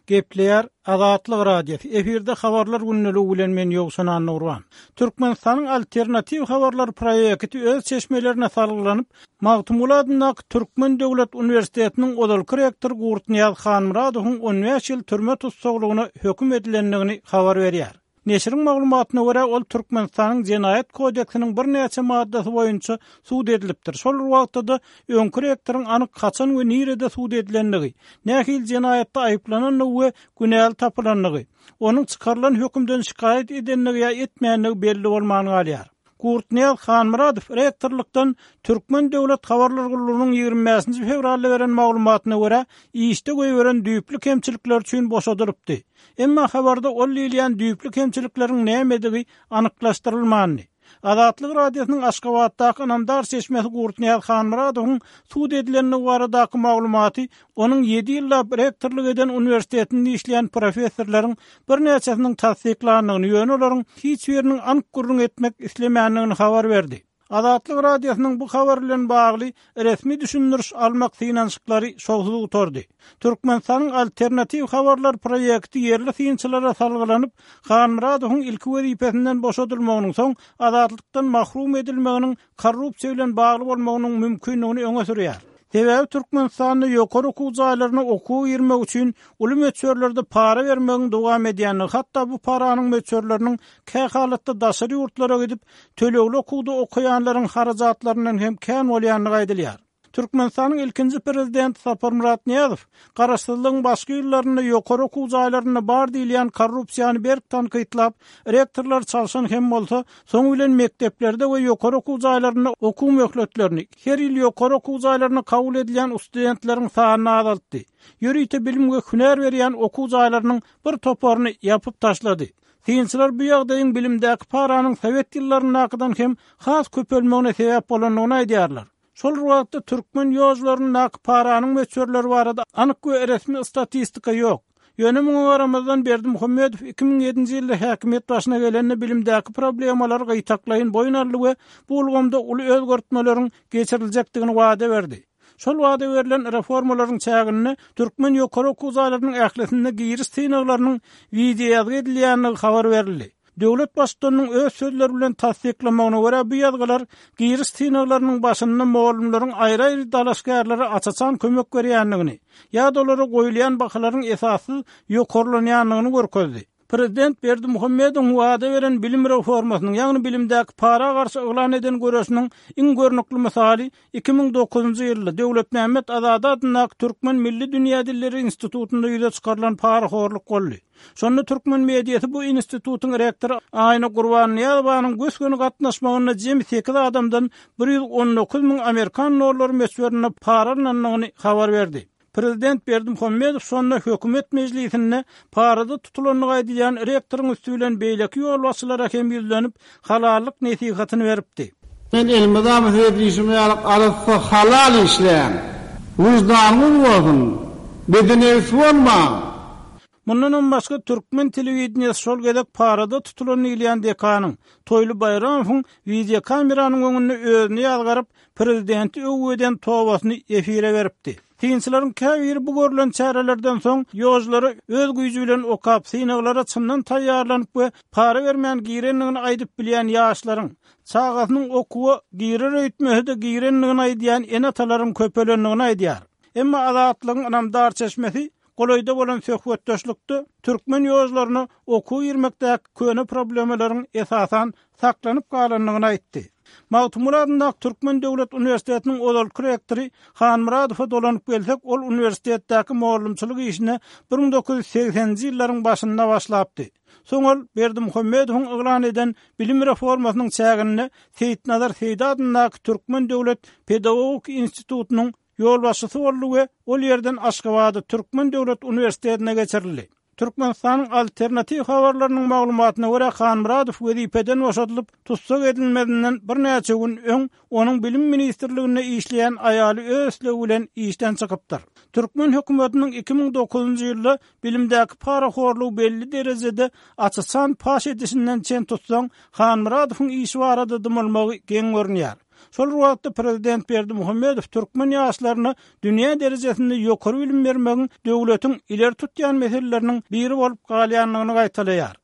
Gepleýär Azatlyk Radiosy, efirde Habarlar gündeligi bilen men Ýowşan Annagurban. Türkmenistanyň Alternatiw habarlar proýekti öz çeşmelerine salgylanyp, Magtymguly adyndaky Türkmen döwlet uniwersitetiniň ozalky rektory Gurtnyýaz Hanmyradowyň 15 ýyl türme tussaglygyna höküm edilendigini habar berýär. Neşiriň maglumatyna görä, ol Türkmenistanyň Jenaýat kodeksiniň birnäçe maddasy boýunça sud edilipdir. Şol bir wagtda-da, öňki rektoryň anyk haçan we nirede sud edilendigi, nähili jenaýatda aýyplanandygy we günäli tapylandygy, onuň çykarylan hökümden şikaýat edendigi ýa etmändigi belli bolman galýar. Gurtnyýaz Hanmyradow rektorlykdan Türkmen döwlet habarlar gullugynyň 25-nji fewralda beren maglumatyna görä, işde goýberen düýpli kemçilikleri üçin boşadylypdy. Emma habarda ol diýilýän düýpli kemçilikleriň nämedigi anyklaşdyrylmandy. Azatlyk Radiosynyň Aşgabatdaky ynamdar çeşmesi Gurtnyýaz Hanmyradowyň sud edilendigi baradaky maglumaty onuň ýedi ýyllap rektorlyk eden uniwersitetinde işleýän professorlaryň birnäçesiniň tassyklandygyny, ýöne olaryň hiç biriniň anyk gürrüň etmek islemändigini habar berdi. Azatlyk Radiosynyň bu habar bilen bagly resmi düşündiriş almak synanyşyklary şowsuz gutardy. Türkmenistanyň Alternatiw habarlar proýekti ýerli synçylara salgylanyp, Hanmyradowyň ilki wezipesinden boşadylmagynyň, soň azatlykdan mahrum edilmeginiň korrupsiýa bilen bagly bolmagynyň mümkindigini öňe sürýär. Sebäbi Türkmenistanda ýokary okuw jaýlaryna okuwa girmek üçin uly möçberlerde para bermegiň dowam edýändigi, hatda bu paranyň möçberleriniň kähalatda daşary ýurtlara gidip, tölegli okuwda okaýanlaryň harajatlaryndan hem kän bolýandygy aýdylýar. Türkmenistanyň ilkinji prezidenti Saparmyrat Nyýazow garaşsyzlygyň başky ýyllarynda ýokary okuw jaýlarynda bar diýilýän korrupsiýany berk tankytlap, rektorlary çalşan hem bolsa, soňy bilen mekdeplerde we ýokary okuw jaýlarynda okuw möhletlerini, her ýyl ýokary okuw jaýlaryna kabul edilýän ustudentleriň sanyny azaltdy. Ýörite bilim we hünär berýän okuw jaýlarynyň bir toparyny ýapyp taşlady. Synçylar bu ýagdaýyň bilimdäki paranyň sowet ýyllaryndakydan hem has köpelmegine sebäp bolandygyny aýdýarlar. Şol bir wagtda türkmen ýožlaryndaky paranyň möçberleri barada anyk we resmi statistika ýok. Ýöne muňa garamazdan Berdimuhamedow 2007-nji ýylda häkimiýet başyna gelende bilimdäki problemalary gytaklaýyn boýun aldy we bu ulgamda uly özgertmeleriň geçiriljekdigini wada berdi. Şol wada berlen reformalaryň çäginde türkmen ýokary okuw jaýlarynyň ählisinde giriş synaglarynyň wideoýazgy edilýändigi habar berildi. Döwlet Baştutanynyň öz sözleri bilen tassyklamagyna görä, bu ýazgylar giriş synaglarynyň başynda mugallymlaryň aýry-aýry dalaşgärlere aç-açan kömek berýändigini ýa-da olara goýulýan bahalaryň esassyz ýokarlanýandygyny görkezdi. Prezident Berdimuhamedowyň wada beren bilim reformasynyň, ýagny bilimdäki para garşy yglan eden göreşiniň iň görnükli mysaly 2009-njy ýylda Döwletmämmet Azady adyndaky Türkmen milli dünýä dilleri institutynda ýüze çykarylan parahorluk boldy. Şonda türkmen mediasy bu institutyň rektory Aýna Gurbannyýazowanyň gös-göni gatnaşmagynda jemi sekiz adamdan 119 müň amerikan dollary möçberinde para alnandygyny habar berdi. Prezident Berdimuhamedow şonda hökümet mejlisinde parada tutulandygy aýdylýan rektoryň üsti bilen beýleki ýolbaşçylara hem ýüzlenip, halallyk nesihatyny beripdi. Men elmydama size diýşim ýaly arassa halal işläň. Wyždanyňyz bolsun. Bedenebis bolmaň. Mundanam başga türkmen telewideniýesi şol gezek parada tutulan diýilýän dekanyň, Toýly Baýramowyň wideokameranyň öňünde özüni ýazgaryp, prezidenti öwgi eden tobasyny efire beripdi. Synçylaryň käbiri bu görlen çärelerden soň ýožlara öz güýji bilen okap, synaglara çyndan taýýarlanyp we para bermän girendigini aýdyp bilýän ýaşlaryň, çagasynyň okuwa girer öýtmese-de girendigini aýdýan ene-atalaryň köpelendigini aýdýar. Emma Azatlygyň ynamdar çeşmesi Golaýda bolan söhbetdeşlikde türkmen ýožlaryna okuwa girmekdäki köne problemalaryň esasan saklanyp galandygyny aýtdy. Magtymguly adyndaky Türkmen döwlet uniwersitetiniň ozalky rektory Hanmyradowa dolanyp gelsek, ol uniwersitetdäki mugallymçylyk işine 1980-nji ýyllaryň başynda başlapdy. Soň ol Berdimuhamedowyň yglan eden bilim reformasynyň çäginde Seýitnazar Seýdi adyndaky Türkmen döwlet pedagogik institutynyň ýolbaşçysy boldy we ol ýerden Aşgabada Türkmen döwlet uniwersitetine geçirildi. Türkmenistanyň Alternatiw habarlarynyň maglumatyna görä, Hanmyradow wezipeden boşadylyp, tussag edilmezinden birnäçe gün öň onuň Bilim ministrliginde işleýän aýaly öz islegi bilen işden çykypdyr. Türkmen hökümetiniň 2009-njy ýylda bilimdäki parahorlugy belli derejede aç-açan paş edişinden çen tutsaň, Hanmyradowyň işi barada dymylmagy geň görünýär. Şol bir wagtda prezident Berdimuhamedow türkmen ýaşlaryna dünýä derejesinde ýokary bilim bermegiň döwletiň ileri tutýan meseleleriniň biri bolup galýandygyny gaýtalaýar.